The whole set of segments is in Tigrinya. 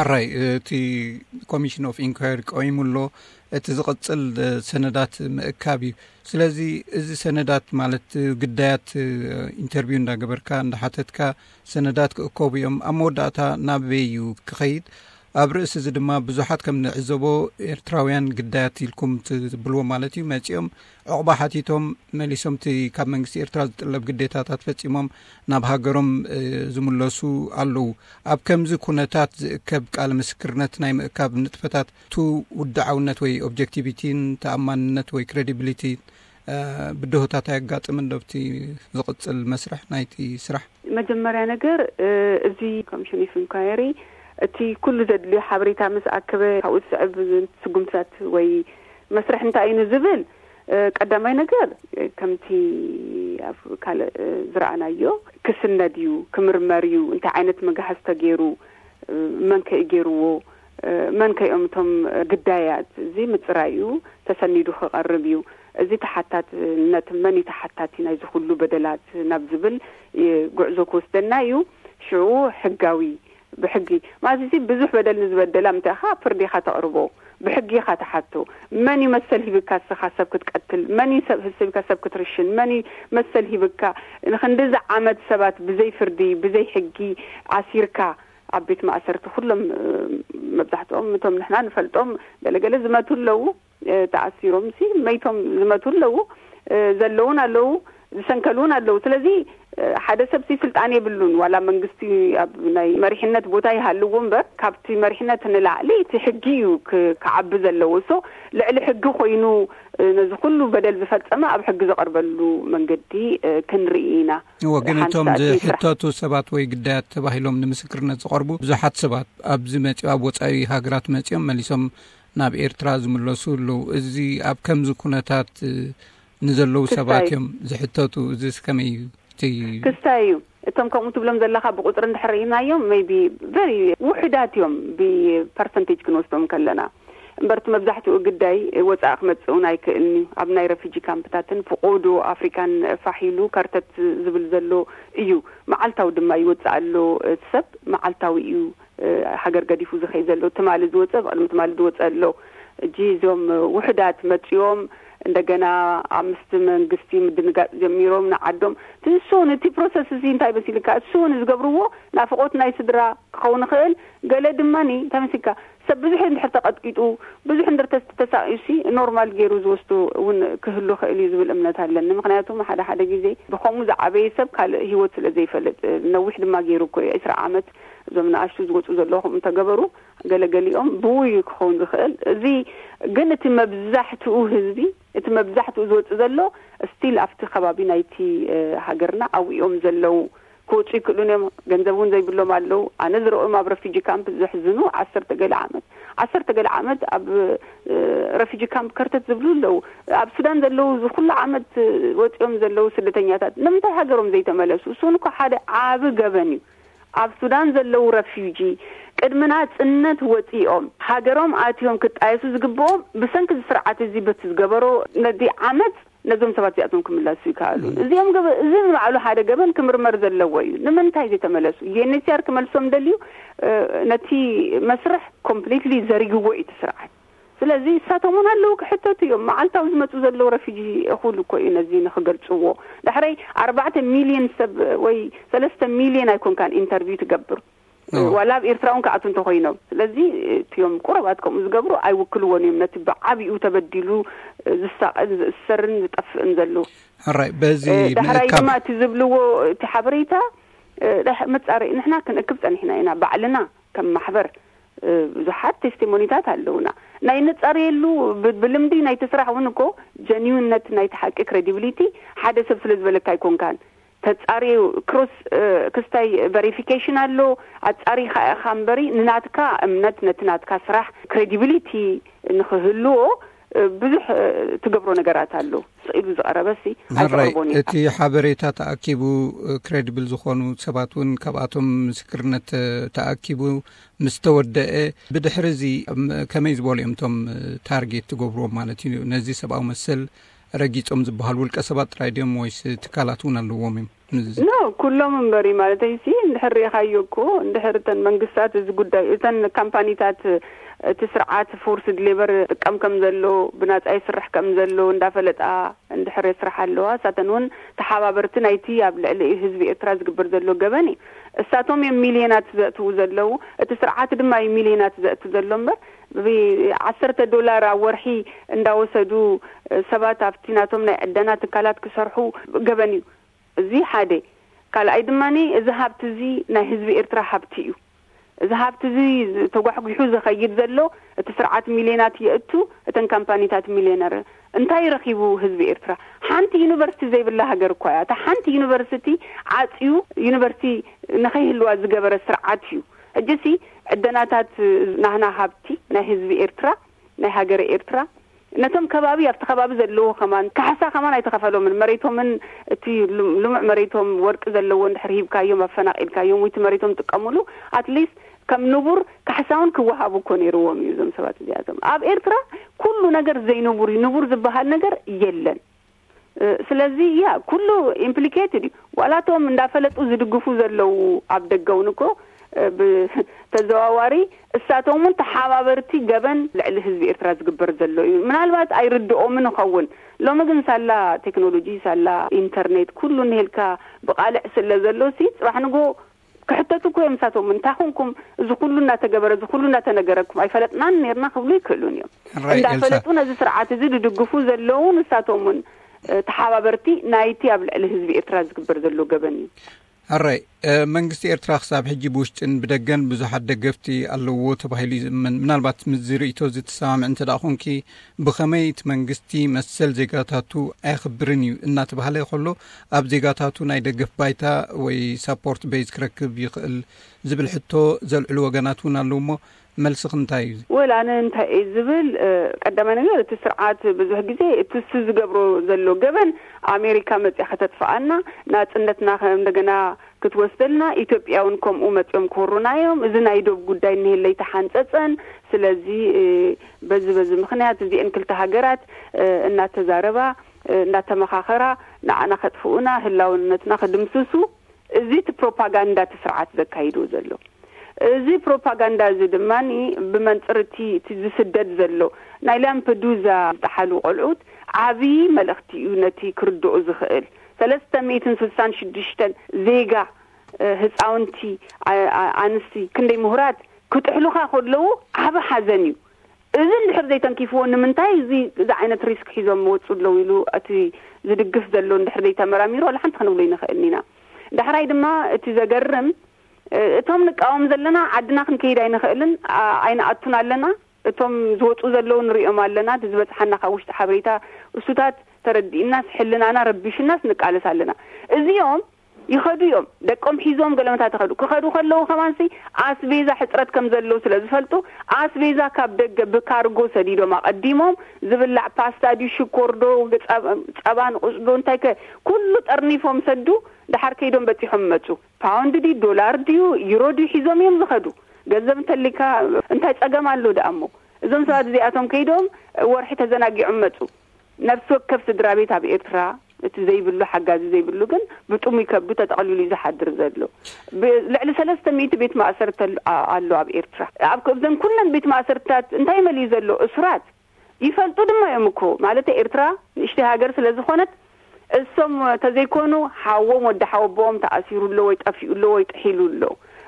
ኣራይ፣ እቲ ኮሚሽን ኦፍ ኢንኳሪ ቀዊሙ ኣሎ። እቲ ዝቕጽል ሰነዳት ምእካብ እዩ። ስለዚ እዚ ሰነዳት ማለት ግዳያት ኢንተርቪው እንዳገበርካ እንዳሓተትካ ሰነዳት ክእከቡ እዮም። ኣብ መወዳእታ ናበይ እዩ ክኸይድ? ኣብ ርእሲ እዚ ድማ ብዙሓት ከም ንዕዘቦ ኤርትራውያን ግዳያት ኢልኩም ትብልዎ ማለት እዩ መጺኦም ዕቑባ ሓቲቶም መሊሶም እቲ ካብ መንግስቲ ኤርትራ ዝጥለብ ግዴታታት ፈጺሞም ናብ ሃገሮም ዝምለሱ ኣለዉ። ኣብ ከምዚ ኩነታት ዝእከብ ቃለ ምስክርነት ናይ ምእካብ ንጥፈታት ቱ ውድዓውነት ወይ ኦብጀክቲቪቲን ተኣማንነት ወይ ክሬዲቢሊቲ ብድሆታት ኣየጋጥምን ዶ ኣብቲ ዝቕጽል መስርሕ ናይቲ ስራሕ? መጀመርያ ነገር እዚ ኮሚሽን ኦፍ ኢንኳየሪ እቲ ኩሉ ዘድልዮ ሓበሬታ ምስ ኣከበ ካብኡ ዝስዕብ ስጉምትታት ወይ መስርሕ እንታይ እዩ ንዝብል ቀዳማይ ነገር ከምቲ ኣብ ካልእ ዝረኣናዮ ክስነድ እዩ፣ ክምርመር እዩ፣ እንታይ ዓይነት መጋሕስ ተገይሩ፣ መን ከ ገይርዎ፣ መን ከ እዮም እቶም ግዳያት፣ እዚ ምፅራይ እዩ፣ ተሰኒዱ ክቐርብ እዩ። እዚ ተሓታትነት መን እዩ ተሓታቲ ናይዚ ኩሉ በደላት ናብ ዝብል ጉዕዞ ክወስደና እዩ። ሽዑ ሕጋዊ ብሕጊ ማለት እዚ ብዙሕ በደል ንዝበደላ ምታኻ ፍርዲ ኢኻ ተቕርቦ፣ ብሕጊ ኢኻ ትሓቶ። መን እዩ መሰል ሂብካ እስኻ ሰብ ክትቀትል? መን እዩ ሰብ ሂብካ ሰብ ክትርሽን? መን እዩ መሰል ሂብካ ንክንድዚ ዓመት ሰባት ብዘይ ፍርዲ ብዘይ ሕጊ ኣሲርካ ኣብ ቤት ማእሰርቲ ኩሎም መብዛሕትኦም እቶም ንሕና ንፈልጦም ገለገለ ዝመቱ ኣለዉ። ተኣሲሮም ሲ መይቶም ዝመቱ ኣለዉ፣ ዘለውን ኣለዉ፣ ዝሰንከሉ እውን ኣለዉ። ስለዚ ሓደ ሰብ ሲ ስልጣን የብሉን፣ ዋላ መንግስቲ ኣብ ናይ መሪሕነት ቦታ ይሃልዎ እምበር ካብቲ መሪሕነት ንላዕሊ እቲ ሕጊ እዩ ክዓቢ ዘለዎ። ሶ ልዕሊ ሕጊ ኮይኑ ነዚ ኩሉ በደል ዝፈጸመ ኣብ ሕጊ ዘቐርበሉ መንገዲ ክንርኢ ኢና። እዎ፣ ግን እቶም ዝሕተቱ ሰባት ወይ ግዳያት ተባሂሎም ንምስክርነት ዝቐርቡ ብዙሓት ሰባት ኣብዚ መጺኦም ኣብ ወጻኢ ሃገራት መጺኦም መሊሶም ናብ ኤርትራ ዝምለሱ ኣለዉ። እዚ ኣብ ከምዚ ኩነታት ንዘለዉ ሰባት እዮም ዝሕተቱ። እዚ ከመይ እዩ? ክስታይ እዩ። እቶም ከምኡ ትብሎም ዘለኻ ብቁፅሪ እንድሕር ርኢናዮም maybe very ውሕዳት እዮም ብፐርሰንቴጅ ክንወስዶም ከለና። እምበርቲ መብዛሕትኡ ግዳይ ወፃኢ ክመፅእ እውን ኣይክእልን እዩ። ኣብ ናይ ረፊጂ ካምፕታትን ፍቆዶ ኣፍሪካን ፋሕ ኢሉ ከርተት ዝብል ዘሎ እዩ። መዓልታዊ ድማ ይወፅእ ኣሎ። እቲ ሰብ መዓልታዊ እዩ ሃገር ገዲፉ ዝኸይ ዘሎ። ትማሊ ዝወፀ ብቅድሚ ትማሊ ዝወፀ ኣሎ። እጂ እዞም ውሕዳት መፂኦም እንደገና ኣብ ምስቲ መንግስቲ ምድንጋፅ ጀሚሮም ንዓዶም ትእሱን እቲ ፕሮሰስ እዚ እንታይ መሲልካ እሱን ዝገብርዎ ናፍቆት ናይ ስድራ ክኸውን ይኽእል። ገለ ድማ እንታይ መሲልካ ሰብ ብዙሕ እንድሕር ተቐጥቂጡ ብዙሕ እንድር ተሳቂዩሲ ኖርማል ገይሩ ዝወስዱ እውን ክህሉ ክእል እዩ ዝብል እምነት ኣለኒ። ምክንያቱም ሓደ ሓደ ግዜ ብከምኡ ዝዓበየ ሰብ ካልእ ህይወት ስለ ዘይፈልጥ ነዊሕ ድማ ገይሩ እኮ እዩ ዕስራ ዓመት እዞም ንኣሽቱ ዝወፁ ዘለኹም እንተገበሩ ገለገሊኦም ብውይ ክኸውን ዝኽእል። እዚ ግን እቲ መብዛሕትኡ ህዝቢ እቲ መብዛሕትኡ ዝወፅእ ዘሎ ስቲል ኣብቲ ከባቢ ናይቲ ሃገርና ኣብኡ እዮም ዘለዉ። ክወፁ ይክእሉን እዮም። ገንዘብ እውን ዘይብሎም ኣለዉ። ኣነ ዝረኦም ኣብ ረፊጂ ካምፕ ዘሕዝኑ ዓሰርተ ገለ ዓመት ዓሰርተ ገለ ዓመት ኣብ ረፊጂ ካምፕ ከርተት ዝብሉ ኣለዉ። ኣብ ሱዳን ዘለዉ ዝኩሉ ዓመት ወፂኦም ዘለዉ ስደተኛታት ንምንታይ ሃገሮም ዘይተመለሱ? እሱን እኮ ሓደ ዓቢ ገበን እዩ። ኣብ ሱዳን ዘለዉ ረፊጂ ቅድሚ ናፅነት ወፂኦም ሃገሮም ኣትዮም ክጣየሱ ዝግብኦም ብሰንኪ እዚ ስርዓት እዚ በቲ ዝገበሮ ነዚ ዓመፅ ነዞም ሰባት እዚኣቶም ክምላሱ ይከኣሉ። እዚኦም እዚ ንባዕሉ ሓደ ገበን ክምርመር ዘለዎ እዩ። ንምንታይ ዘይተመለሱ? ዩኤንኤችሲኣር ክመልሶም ደልዩ ነቲ መስርሕ ኮምፕሊትሊ ዘሪግዎ እዩ እቲ ስርዓት። ስለዚ እሳቶም እውን ኣለዉ ክሕተቱ እዮም። መዓልታዊ ዝመፁ ዘለዉ ረፊጂ እኹል እኮ እዩ ነዚ ንክገልፅዎ። ዳሕረይ ኣርባዕተ ሚልዮን ሰብ ወይ ሰለስተ ሚልዮን ኣይኮንካን ኢንተርቪው ትገብር ዋላ ኣብ ኤርትራ እውን ክኣቱ እንተኮይኖም። ስለዚ እቲዮም ቁረባት ከምኡ ዝገብሩ ኣይውክልዎን እዮም ነቲ ብዓብኡ ተበዲሉ ዝሳቐን ዝእሰርን ዝጠፍእን ዘለዉ። ሕራይ በዚ ዳሕራይ ድማ እቲ ዝብልዎ እቲ ሓበሬታ መፃረኢ ንሕና ክንእክብ ፀኒሕና ኢና ባዕልና ከም ማሕበር ብዙሓት ቴስቲሞኒታት ኣለውና። ናይ ንፃረየሉ ብልምዲ ናይቲ ስራሕ እውን እኮ ጀኒውነት ናይቲ ሓቂ ክሬዲብሊቲ ሓደ ሰብ ስለ ዝበለካ ኣይኮንካን ተፃርዩ ክሮስ ክስታይ ቨሪፊኬሽን ኣሎ። ኣፃሪኻ ኢኻ እምበሪ ንናትካ እምነት ነቲ ናትካ ስራሕ ክሬዲብሊቲ ንክህልዎ ብዙሕ ትገብሮ ነገራት ኣሎ። ስኢሉ ዝቐረበ ሲ ሕራይ ኣይተቕርቦን ኢኻ። እቲ ሓበሬታ ተኣኪቡ ክሬዲብል ዝኾኑ ሰባት እውን ካብኣቶም ምስክርነት ተኣኪቡ ምስ ተወደአ ብድሕሪ እዚ ከመይ ዝበሉ እዮም እቶም ታርጌት ትገብርዎም ማለት እዩ? ነዚ ሰብኣዊ መሰል ረጊጾም ዝበሃሉ ውልቀ ሰባት ጥራይ ድዮም ወይስ ትካላት እውን ኣለዎም እዮም? ንዚ ኖ፣ ኩሎም እምበሪ ማለተይ ሲ፣ እንድሕር ርኢኻዮ እኮ፣ እንድሕር እተን መንግስታት እዚ ጉዳይ፣ እተን ካምፓኒታት እቲ ስርዓት ፎርስድ ሌበር ጥቀም ከም ዘሎ፣ ብናጻ ይስራሕ ከም ዘሎ እንዳፈለጣ እንድሕር የስራሕ ኣለዋ፣ እሳተን እውን ተሓባበርቲ ናይቲ ኣብ ልዕሊ ህዝቢ ኤርትራ ዝግበር ዘሎ ገበን እዩ። እሳቶም እዮም ሚልዮናት ዘእትዉ ዘለዉ፣ እቲ ስርዓት ድማ እዩ ሚልዮናት ዘእቱ ዘሎ እምበር፣ ብዓሰርተ ዶላር ኣብ ወርሒ እንዳወሰዱ ሰባት ኣብቲ ናቶም ናይ ዕደና ትካላት ክሰርሑ ገበን እዩ። እዚ ሓደ። ካልኣይ ድማ፣ እዚ ሃብቲ እዚ ናይ ህዝቢ ኤርትራ ሃብቲ እዩ። እዚ ሃብቲ እዚ ተጓሕጒሑ ዝኸይድ ዘሎ፣ እቲ ስርዓት ሚልዮናት የእቱ፣ እተን ካምፓኒታት ሚልዮነር። እንታይ ረኺቡ ህዝቢ ኤርትራ? ሓንቲ ዩኒቨርሲቲ ዘይብላ ሃገር እኳ እያ። እታ ሓንቲ ዩኒቨርሲቲ ዓጽዩ፣ ዩኒቨርሲቲ ንኸይህልዋ ዝገበረ ስርዓት እዩ። ሕጂሲ ዕደናታት ናህና ሃብቲ ናይ ህዝቢ ኤርትራ፣ ናይ ሃገረ ኤርትራ፣ ነቶም ከባቢ፣ ኣብቲ ከባቢ ዘለዎ ከማን ካሕሳ ከማን ኣይተኸፈሎምን። መሬቶምን እቲ ልም-፣ ልሙዕ መሬቶም፣ ወርቂ ዘለዎ እንድሕር ሂብካዮም፣ ኣፈናቒልካዮም፣ ወይ እቲ መሬቶም ጥቀሙሉ፣ ኣትሊስት ከም ንቡር ካሕሳውን ክወሃቡ እኮ ነይርዎም እዩ። እዞም ሰባት እዚኣቶም፣ ኣብ ኤርትራ ኩሉ ነገር ዘይንቡር እዩ። ንቡር ዝበሃል ነገር የለን። እ፣ ስለዚ ያ ኩሉ ኢምፕሊኬትድ እዩ። ዋላቶም እንዳፈለጡ ዝድግፉ ዘለዉ ኣብ ደገ እውን እኮ፣ እ፣ ብተዘዋዋሪ እሳቶም እውን ተሓባበርቲ ገበን ልዕሊ ህዝቢ ኤርትራ ዝግበር ዘሎ እዩ። ምናልባት ኣይርድኦምን ይኸውን። ሎሚ ግን ሳላ ቴክኖሎጂ፣ ሳላ ኢንተርኔት፣ ኩሉ እንሄልካ ብቓልዕ ስለ ዘሎ ሲ፣ ጽባሕ ንጎ ክሕተቱ እኮ እዮም። እሳቶም፣ እንታይ ኮንኩም፣ እዚ ኩሉ እናተገበረ፣ እዚ ኩሉ እናተነገረኩም ኣይፈለጥናን ነርና ክብሉ ይክእሉን እዮም። ራይ ኤልሳ እንዳፈለጡ ነዚ ስርዓት እዚ ዝድግፉ ዘለዉ ንሳቶም እውን፣ እ፣ ተሓባበርቲ ናይቲ ኣብ ልዕሊ ህዝቢ ኤርትራ ዝግበር ዘሎ ገበን እዩ። ሕራይ፣ እ፣ መንግስቲ ኤርትራ ክሳብ ሕጂ ብውሽጥን ብደገን ብዙሓት ደገፍቲ ኣለዎ ተባሂሉ ይዝመን። ምናልባት ምስዚ ርእይቶ እዚ ትሰማምዕ እንተ ደኣ ኾንኪ፣ ብኸመይ እቲ መንግስቲ መሰል ዜጋታቱ ኣየኽብርን እዩ እናተባህለ ከሎ፣ ኣብ ዜጋታቱ ናይ ደገፍ ባይታ ወይ ሳፖርት ቤዝ ክረክብ ይኽእል ዝብል ሕቶ ዘልዕሉ ወገናት እውን ኣለዉ እሞ፣ መልስኽ እንታይ እዩ? ወል፣ ኣነ እንታይ እየ ዝብል፣ እ፣ ቀዳማይ ነገር፣ እቲ ስርዓት ብዙሕ ግዜ እቲ እሱ ዝገብሮ ዘሎ ገበን፣ ኣሜሪካ መጽያ ከተጥፍኣና፣ ናጽነትና ከም እንደገና ክትወስደልና፣ ኢትዮጵያ እውን ከምኡ መጽዮም ክወሩና እዮም። እዚ ናይ ዶብ ጉዳይ እኒሄለይ ተሓንጸጸን። ስለዚ፣ እ፣ በዚ በዚ ምኽንያት እዚአን ክልተ ሃገራት፣ እ፣ እናተዛረባ፣ እ፣ እናተመኻኸራ፣ ንዓና ከጥፍኡና፣ ህላውነትና ክድምስሱ፣ እዚ እቲ ፕሮፓጋንዳ እቲ ስርዓት ዘካይዶ ዘሎ። እዚ ፕሮፓጋንዳ እዚ ድማ ብመንጽር እቲ፣ እቲ ዝስደድ ዘሎ ናይ ላምፐዱዛ ዝጠሓሉ ቆልዑት ዓብዪ መልእኽቲ እዩ ነቲ ክርድኦ ዝኽእል። ሰለስተ ሚእትን ስልሳን ሽዱሽተን ዜጋ፣ እ፣ ህፃውንቲ፣ ኣ-፣ ኣ-፣ ኣንስቲ፣ ክንደይ ምሁራት ክጥሕሉኻ ከለዉ ዓቢ ሓዘን እዩ። እዚ እንድሕር ዘይተንኪፍዎ፣ ንምንታይ እዚ፣ እዚ ዓይነት ሪስክ ሒዞም መወፁ ኣለዉ ኢሉ እቲ ዝድግፍ ዘሎ እንድሕር ዘይተመራሚሩ፣ ዋላ ሓንቲ ክንብሎ ኣይንኽእልን ኢና። ዳሕራይ ድማ እቲ ዘገርም፣ እ፣ እቶም ንቃወም ዘለና ዓድና ክንከይድ ኣይንኽእልን፣ ኣ-፣ ኣይንኣቱን ኣለና። እቶም ዝወፁ ዘለዉ ንሪኦም ኣለና። እቲ ዝበፅሓና ካብ ውሽጢ ሓበሬታ እሱታት ተረዲእናስ፣ ሕልናና ረቢሹናስ ንቃለስ ኣለና። እዚኦም ይኸዱ እዮም። ደቆም ሒዞም ገለመታት ይኸዱ። ክኸዱ ከለዉ ከማንሲ ኣስቤዛ ሕፅረት ከም ዘለዉ ስለ ዝፈልጡ፣ ኣስቤዛ ካብ ደገ ብካርጎ ሰዲዶም ኣቐዲሞም፣ ዝብላዕ ፓስታ ድዩ፣ ሽኮር ዶ፣ ጸባ፣ ጸባ ንቑጽ ዶ፣ እንታይ ከ፣ ኩሉ ጠርኒፎም ሰዱ። ደሓር ከይዶም በጺሖም መጹ። ፓውንድ ድዩ፣ ዶላር ድዩ፣ ዩሮ ድዩ ሒዞም እዮም ዝኸዱ። ገንዘብ እንተሊካ እንታይ ጸገም ኣሎ ደኣ እሞ? እዞም ሰባት እዚኣቶም ከይዶም ወርሒ ተዘናጊዖም መጹ። ነፍሲ ወከፍ ስድራ ቤት ኣብ ኤርትራ፣ እቲ ዘይብሉ፣ ሓጋዚ ዘይብሉ ግን ብጥሙይ ከብዱ ተጠቕሊሉ እዩ ዝሓድር ዘሎ። ብ-፣ ልዕሊ ሰለስተ ሚእቲ ቤት ማእሰርቲ ኣሎ፣ ኣ-፣ ኣሎ ኣብ ኤርትራ። ኣብ፣ ኣብዘን ኩለን ቤት ማእሰርትታት እንታይ መሊኡ ዘሎ? እሱራት ይፈልጡ ድማ እዮም እኮ። ማለት ኤርትራ ንእሽተይ ሃገር ስለ ዝኾነት፣ እሶም ተዘይኮኑ ሓዎም ወዲ ሓወቦኦም ተኣሲሩ ኣሎ ወይ ጠፊኡ ኣሎ ወይ ጥሒሉ ኣሎ።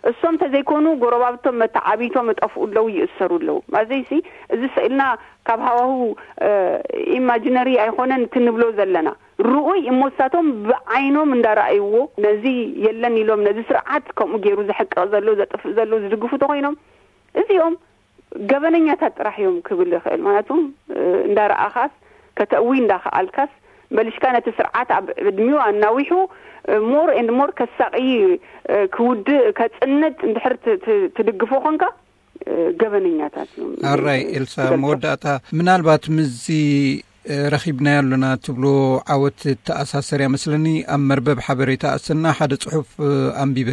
እሶም ተዘይኮኑ ጎረባብቶም መተዓቢቶም እጠፍኡ ኣለዉ፣ ይእሰሩ ኣለዉ። ማዘይሲ እዚ ስእልና ካብ ሃዋሁ፣ እ፣ ኢማጂነሪ ኣይኮነን እቲ ንብሎ ዘለና። ርኡይ እሞ እሳቶም ብዓይኖም እንዳረኣይዎ፣ ነዚ የለን ኢሎም፣ ነዚ ስርዓት ከምኡ ገይሩ ዘሕቅቕ ዘሎ፣ ዘጥፍእ ዘሎ ዝድግፉ ተኾይኖም፣ እዚኦም ገበነኛታት ጥራሕ እዮም ክብል ይኽእል። ምክንያቱ፣ እ፣ እንዳረኣኻስ፣ ከተእዊ እንዳኸኣልካስ፣ መሊሽካ ነቲ ስርዓት ኣብ ዕድሚኡ ኣናዊሑ፣ እ፣ ሞር ኤንድ ሞር ከሳቒ፣ እ፣ ክውድእ፣ ከጽንት እንድሕር ት-፣ ት-፣ ትድግፎ ኾንካ፣ እ፣ ገበነኛታት እዮም። ኣራይ ኤልሳ፣ ዝገልጾም። መወዳእታ ምናልባት ምስዚ፣ እ፣ ረኺብናዮ ኣለና ትብሎ ዓወት ተኣሳሰር እያ መስለኒ። ኣብ መርበብ ሓበሬታ ኣሰና ሓደ ጽሑፍ፣ እ፣ ኣንቢበ።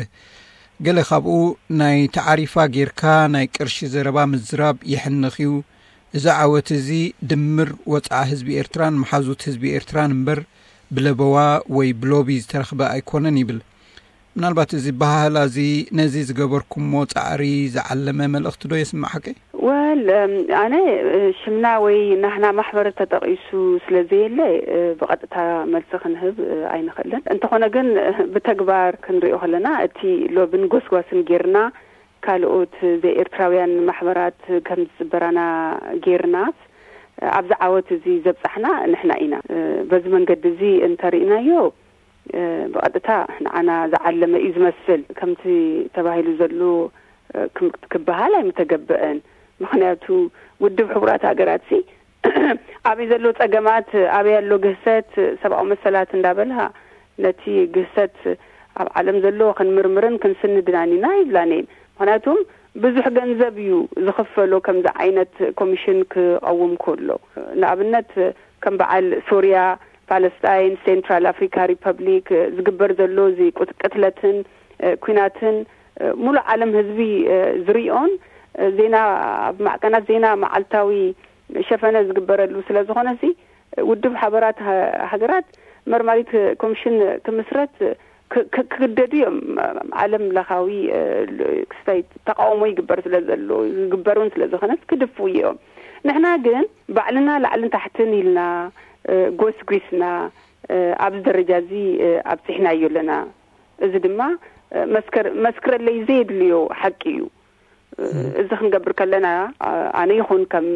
ገለ ካብኡ፣ ናይ ተዓሪፋ ጌርካ ናይ ቅርሺ ዘረባ ምዝራብ የሕንኽ እዩ፣ እዚ ዓወት እዚ ድምር ወጽዓ ህዝቢ ኤርትራን መሓዙት ህዝቢ ኤርትራን እምበር፣ ብለበዋ ወይ ብሎቢ ዝተረኽበ ኣይኮነን ይብል። ምናልባት እዚ በሃህላ እዚ ነዚ ዝገበርኩሞ ጻዕሪ ዝዓለመ መልእኽቲ ዶ የስምዕ ሓቀይ? ወል እም፣ ኣነ እ፣ ሽምና ወይ ናህና ማሕበር ተጠቒሱ ስለ ዘየለ እ፣ ብቐጥታ መልሲ ክንህብ እ፣ ኣይንኽእልን። እንተኾነ ግን እ፣ ብተግባር ክንሪኦ ከለና እቲ ሎብን ጎስጓስን ጌርና ካልኦት ዘይኤርትራውያን ማሕበራት ከም ዝጽበራና ጌርናስ ኣብዚ ዓወት እዚ ዘብጻሕና ንሕና ኢና። እ፣ በዚ መንገዲ እዚ እንተርኢናዮ እ፣ ብቐጥታ ንዓና ዝዓለመ እዩ ዝመስል። ከምቲ ተባሂሉ ዘሎ እ፣ ክም- ክበሃል ኣይምተገበአን። ምኽንያቱ ውድብ ሕቡራት ሃገራት ሲ ኣበይ ዘሎ ጸገማት፣ ኣበይ ኣሎ ግህሰት፣ ሰብኣዊ መሰላት እንዳበልሃ ነቲ ግህሰት ኣብ ዓለም ዘሎ ክንምርምርን ክንስንድናን ኢና ይብላን እየን። ምኽንያቱም ብዙሕ ገንዘብ እዩ ዝኽፈሎ ከምዚ ዓይነት ኮሚሽን ክቐውም ከሎ። ንኣብነት ከም በዓል ሶርያ፣ ፓለስታይን፣ ሴንትራል ኣፍሪካ ሪፐብሊክ ዝግበር ዘሎ እዚ ቁት- ቅትለትን እ፣ ኩናትን እ፣ ሙሉእ ዓለም ህዝቢ እ፣ ዝሪኦን እ፣ ዜና ኣብ ማዕቀናት ዜና መዓልታዊ ሸፈነ ዝግበረሉ ስለ ዝኾነ ሲ ውድብ ሓበራት ሃ- ሃገራት መርማሪት ኮሚሽን ክምስረት ክ- ክ- ክግደዱ እዮም። ዓለም ለኻዊ እ፣ ል- ክስታይ ተቃውሞ ይግበር ስለ ዘሎ ዝግበር እውን ስለ ዝኾነ ክድፍኡ እዮም። ንሕና ግን ባዕልና ላዕልን ታሕትን ኢልና እ፣ ጎስጒስና እ፣ ኣብዚ ደረጃ እዚ እ፣ ኣብፂሕናዮ ኣለና። እዚ ድማ እ፣ መስከር መስክረለይ ዘየድልዮ ሓቂ እዩ። እዚ ክንገብር ከለና ኣነ ይኹን ከም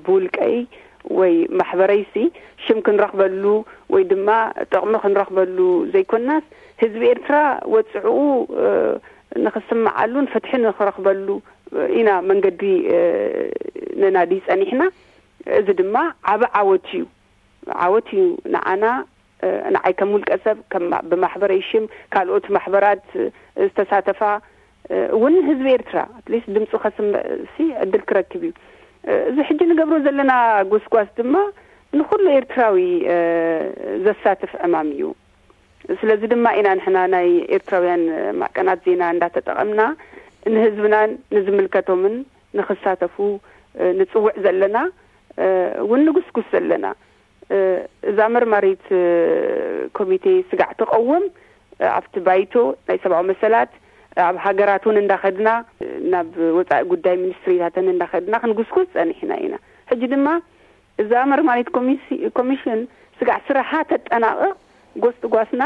ብውልቀይ ወይ ማሕበረይሲ ሽም ክንረኽበሉ ወይ ድማ ጥቕሚ ክንረኽበሉ ዘይኮናስ ህዝቢ ኤርትራ ወፅዕኡ ንክስምዓሉን ፍትሒ ንክረኽበሉ ኢና መንገዲ ነናዲ ፀኒሕና። እዚ ድማ ዓብ ዓወት እዩ። ዓወት እዩ ንዓና። ንዓይ ከም ውልቀ ሰብ ብማሕበረይ ሽም ካልኦት ማሕበራት ዝተሳተፋ እውን ህዝቢ ኤርትራ ኣትሊስት ድምፁ ከስምዕ ሲ ዕድል ክረክብ እዩ። እዚ ሕጂ ንገብሮ ዘለና ጎስጓስ ድማ ንኩሉ ኤርትራዊ ዘሳትፍ ዕማም እዩ። ስለዚ ድማ ኢና ንሕና ናይ ኤርትራውያን ማዕቀናት ዜና እንዳተጠቐምና ንህዝብናን ንዝምልከቶምን ንክሳተፉ ንፅውዕ ዘለና እውን ንጉስጉስ ዘለና። እዛ መርማሪት ኮሚቴ ስጋዕ ትቐውም ኣብቲ ባይቶ ናይ ሰብኣዊ መሰላት ኣብ ሃገራት እውን እንዳኸድና ናብ ወፃኢ ጉዳይ ሚኒስትሪታተን እንዳኸድና ክንጉስጉስ ፀኒሕና ኢና። ሕጂ ድማ እዛ መርማሪት ኮሚሽን ስጋዕ ስራሓ ተጠናቕቕ ጎስጓስና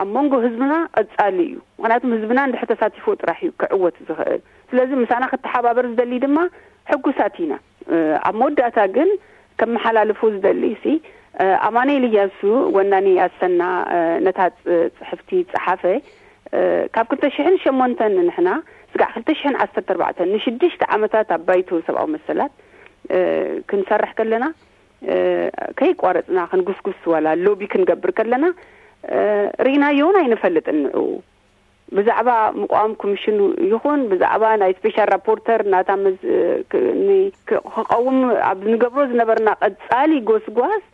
ኣብ መንጎ ህዝብና ቀፃሊ እዩ። ምክንያቱም ህዝብና እንድሕር ተሳቲፎ ጥራሕ እዩ ክዕወት ዝኽእል። ስለዚ ምሳና ክተሓባበር ዝደሊ ድማ ሕጉሳት ኢና። ኣብ መወዳእታ ግን ከመሓላልፎ ዝደሊ ሲ ኣማኑኤል እያሱ ወናኒ ኣሰና ነታ ፅሕፍቲ ፀሓፈ ካብ ክልተ ሽሕን ሸሞንተን ንሕና ስጋዕ ክልተ ሽሕን ዓሰርተ ኣርባዕተን ንሽዱሽተ ዓመታት ኣብ ባይቶ ሰብኣዊ መሰላት ክንሰርሕ ከለና ከይቋረፅና ክንጉስጉስ ዋላ ሎቢ ክንገብር ከለና ርኢናዮ እውን ኣይንፈልጥን። ንዑ ብዛዕባ ምቋም ኮሚሽኑ ይኹን ብዛዕባ ናይ ስፔሻል ራፖርተር ናታ ክቐውም ኣብ ንገብሮ ዝነበርና ቀፃሊ ጎስጓስ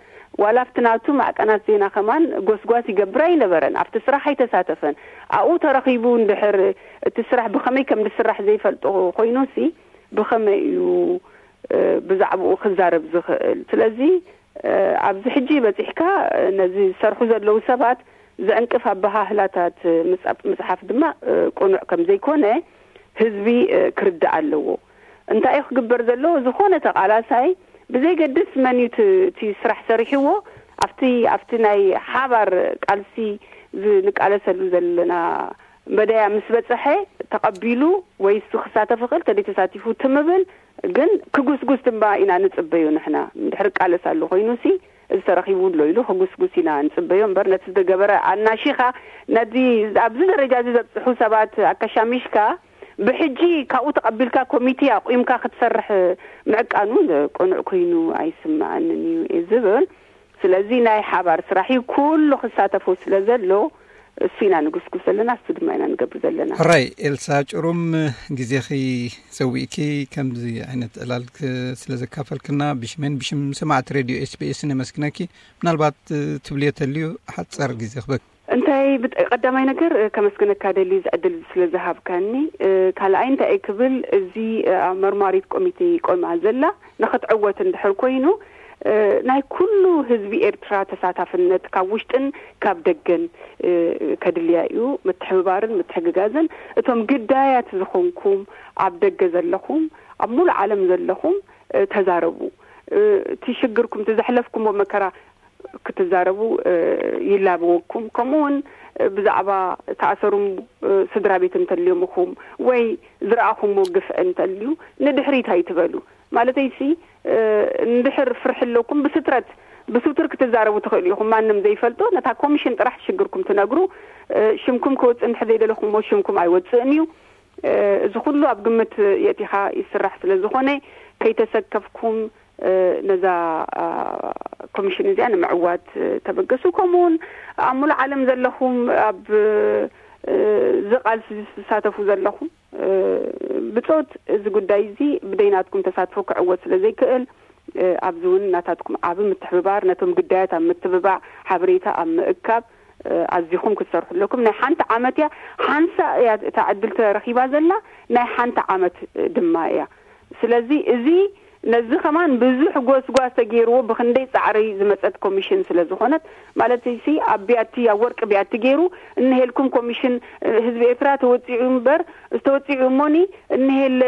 ዋላ ኣብቲ ናቱ ማዕቀናት ዜና ከማን ጎስጓስ ይገብር ኣይነበረን። ኣብቲ ስራሕ ኣይተሳተፈን። ኣብኡ ተረኺቡ እንድሕር እቲ ስራሕ ብኸመይ ከም ዝስራሕ ዘይፈልጦ ኮይኑሲ ብኸመይ እዩ ብዛዕባኡ ክዛረብ ዝኽእል? ስለዚ ኣብዚ ሕጂ በፂሕካ ነዚ ዝሰርሑ ዘለዉ ሰባት ዘዕንቅፍ ኣበሃህላታት ምፅሓፍ ድማ ቅኑዕ ከም ዘይኮነ ህዝቢ ክርዳእ ኣለዎ። እንታይ እዩ ክግበር ዘለዎ? ዝኾነ ተቃላሳይ ብዘይገድስ መን እዩ እቲ ስራሕ ሰሪሕዎ ኣብቲ ኣብቲ ናይ ሓባር ቃልሲ ንቃለሰሉ ዘለና መደያ ምስ በፀሐ ተቐቢሉ ወይ እሱ ክሳተፍ ይኽእል ተደይ ተሳቲፉ ትምብል ግን ክጉስጉስ ድማ ኢና ንፅበዩ። ንሕና እንድሕር ቃለስ ኣሎ ኮይኑ ሲ እዚ ተረኺቡ ኣሎ ኢሉ ክጉስጉስ ኢና ንፅበዮ እምበር ነቲ ዝገበረ ኣናሺኻ ነዚ ኣብዚ ደረጃ እዚ ዘብፅሑ ሰባት ኣከሻሚሽካ ብሕጂ ካብኡ ተቐቢልካ ኮሚቴ ኣቑምካ ክትሰርሕ ምዕቃኑ ቅኑዕ ኮይኑ ኣይስምዓንን እዩ ዝብል። ስለዚ ናይ ሓባር ስራሕ እዩ ኩሉ ክሳተፎ ስለ ዘሎ እሱ ኢና ንጉስጉስ ዘለና፣ እሱ ድማ ኢና ንገብር ዘለና። ሕራይ ኤልሳ ጭሩም ግዜኺ ሰዊእኪ ከምዚ ዓይነት ዕላል ስለ ዘካፈልክና ብሽሜን ብሽም ሰማዕቲ ሬድዮ ኤስቢኤስ ነመስግነኪ። ምናልባት ትብልዮ ተልዩ ሓፀር ግዜ ክበክ እንታይ ብጥ- ቀዳማይ ነገር እ፣ ከመስግነካ ደሊ እዚ ዕድል እዚ ስለ ዝሃብካኒ። እ፣ ካልኣይ እንታይ እየ ክብል፣ እዚ እ፣ ኣብ መርማሪት ኮሚቴ ቆማ ዘላ ንኽትዕወት እንድሕር ኮይኑ እ፣ ናይ ኩሉ ህዝቢ ኤርትራ ተሳታፍነት ካብ ውሽጥን ካብ ደገን እ፣ ከድልያ እዩ። ምትሕብባርን ምትሕግጋዝን እቶም ግዳያት ዝኾንኩም ኣብ ደገ ዘለኹም ኣብ ሙሉእ ዓለም ዘለኹም እ፣ ተዛረቡ። እ፣ እቲ ሽግርኩም እቲ ዘሕለፍኩምዎ መከራ ክትዛረቡ እ፣ ይላበወኩም። ከምኡ እውን እ፣ ብዛዕባ ተኣሰሩም እ፣ ስድራ ቤት እንተልዮም ኢኹም ወይ ዝረኣኹምዎ ግፍዒ እንተልዩ ንድሕሪት ኣይትበሉ። ማለተይሲ እ፣ እንድሕር ፍርሒ ኣለኩም ብስትረት ብስውትር ክትዛረቡ ትኽእሉ ኢኹም። ማንም ዘይፈልጦ ነታ ኮሚሽን ጥራሕ ሽግርኩም ትነግሩ። እ፣ ሽምኩም ክወፅእ እንድሕር ዘይደለኹምዎ ሽምኩም ኣይወፅእን እዩ። እ፣ እዚ ኩሉ ኣብ ግምት የእቲኻ ይስራሕ ስለ ዝኾነ ከይተሰከፍኩም እ፣ ነዛ እ፣ ኮሚሽን እዚኣ ንምዕዋት እ፣ ተበገሱ። ከምኡውን ኣብ ሙሉእ ዓለም ዘለኹም ኣብ እ፣ እዚ ቃልሲ ዝሳተፉ ዘለኹም እ፣ ብጾት እዚ ጉዳይ እዚ ብደይናትኩም ተሳትፎ ክዕወት ስለ ዘይክእል እ፣ ኣብዚ እውን ናታትኩም ዓቢ ምትሕብባር ነቶም ግዳያት ኣብ ምትብባዕ ሓበሬታ ኣብ ምእካብ እ፣ ኣዚኹም ክትሰርሑ ኣለኩም። ናይ ሓንቲ ዓመት እያ ሓንሳ እያ እታ ዕድል ተረኺባ ዘላ ናይ ሓንቲ ዓመት ድማ እያ። ስለዚ እዚ ነዚ ከማን ብዙሕ ጎስጓስ ተገይርዎ ብክንደይ ጻዕሪ ዝመጸት ኮሚሽን ስለ ዝኾነት ማለት ሲ ኣብ ቢያቲ ኣብ ወርቂ ቢያቲ ገይሩ እንሄልኩም ኮሚሽን እ፣ ህዝቢ ኤርትራ ተወጺዑ እምበር ዝተወጺዑ እሞኒ እንሄለ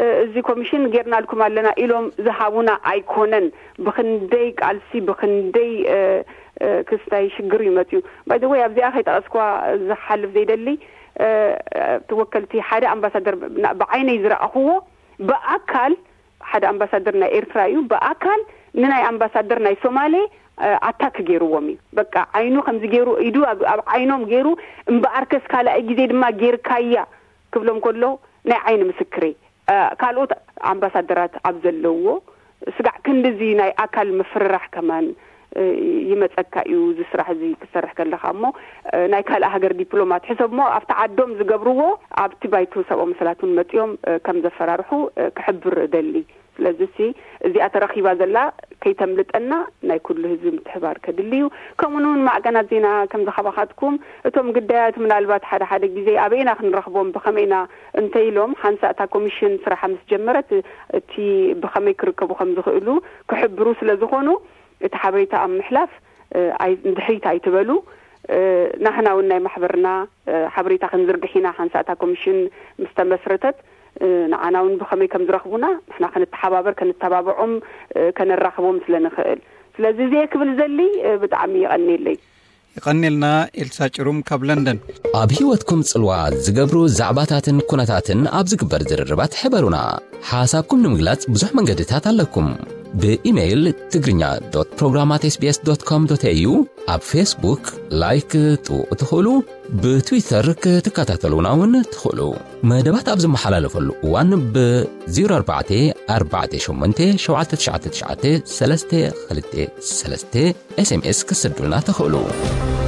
እ፣ እዚ ኮሚሽን ጌርናልኩም ኣለና ኢሎም ዝሃቡና ኣይኮነን። ብክንደይ ቃልሲ ብክንደይ እ፣ እ፣ ክስታይ ሽግር እዩ መጽዩ። ባይ ዘ ወይ ኣብዚኣ ከይጠቐስኳ ዝሓልፍ ዘይደሊ እ፣ ተወከልቲ ሓደ ኣምባሳደር ብ- ብዓይነይ ዝረኣኽዎ ብኣካል ሓደ ኣምባሳደር ናይ ኤርትራ እዩ ብኣካል ንናይ ኣምባሳደር ናይ ሶማሌ እ፣ ኣታክ ገይርዎም እዩ። በቃ ዓይኑ ከምዚ ገይሩ ኢዱ ኣብ ኣብ ዓይኖም ገይሩ እምበኣርከስ ካልኣይ ግዜ ድማ ጌርካያ ክብሎም ከሎ ናይ ዓይኒ ምስክረይ እ፣ ካልኦት ኣምባሳደራት ኣብ ዘለውዎ ስጋዕ ክንድዚ ናይ ኣካል ምፍርራሕ ከማን እ፣ ይመጸካ እዩ እዚ ስራሕ እዚ ክትሰርሕ ከለኻ እሞ እ፣ ናይ ካልእ ሃገር ዲፕሎማት ሕሰብ እሞ ኣብቲ ዓዶም ዝገብርዎ ኣብቲ ባይቶ ሰብኣዊ መሰላት እውን መጺኦም እ፣ ከም ዘፈራርሑ እ፣ ክሕብር እደሊ። ስለዚ ሲ እዚኣ ተረኺባ ዘላ ከይተምልጠና ናይ ኩሉ ህዝቢ ምትሕባር ከድሊ እዩ። ከምኡ እውን ማዕቀናት ዜና ከም ዝኻባኻትኩም እቶም ግዳያት ምናልባት ሓደ ሓደ ግዜ ኣበይና ክንረኽቦም ብኸመይና እንተኢሎም ሓንሳእ እታ ኮሚሽን ስራሓ ምስ ጀመረት እቲ ብኸመይ ክርከቡ ከም ዝኽእሉ ክሕብሩ ስለ ዝኾኑ እቲ ሓበሬታ ኣብ ምሕላፍ እ፣ ኣይ- ንድሕሪት ኣይትበሉ። እ፣ ናህና እውን ናይ ማሕበርና እ፣ ሓበሬታ ክንዝርግሕ ኢና። ሓንሳእ እታ ኮሚሽን ምስ ተመስረተት እ፣ ንዓና እውን ብኸመይ ከም ዝረኽቡና ንሕና ክንተሓባበር ከንተባብዖም እ፣ ከነራኽቦም ስለ ንኽእል። ስለዚ እዚየ ክብል ዘሊ እ፣ ብጣዕሚ ይቐንየለይ። ይቐንየልና ኤልሳ ጭሩም ካብ ለንደን። ኣብ ህይወትኩም ጽልዋ ዝገብሩ ዛዕባታትን ኩነታትን ኣብ ዝግበር ዝርርባት ሕበሩና። ሓሳብኩም ንምግላጽ ብዙሕ መንገድታት ኣለኩም። ብኢሜይል ትግርኛ ዶት ፕሮግራም ኣት ኤስ ቢ ኤስ ዶት ኮም ዶት ኤ ዩ፣ ኣብ ፌስቡክ ላይክ ክትጥውቑ ትኽእሉ፣ ብትዊተር ክትከታተሉና እውን ትኽእሉ። መደባት ኣብ ዝመሓላለፈሉ እዋን ብ ዜሮ ኣርባዕተ ኣርባዕተ ሸሞንተ ሸውዓተ ትሽዓተ ትሽዓተ ሰለስተ ክልተ ሰለስተ ኤስ ኤም ኤስ ክትሰዱልና ትኽእሉ።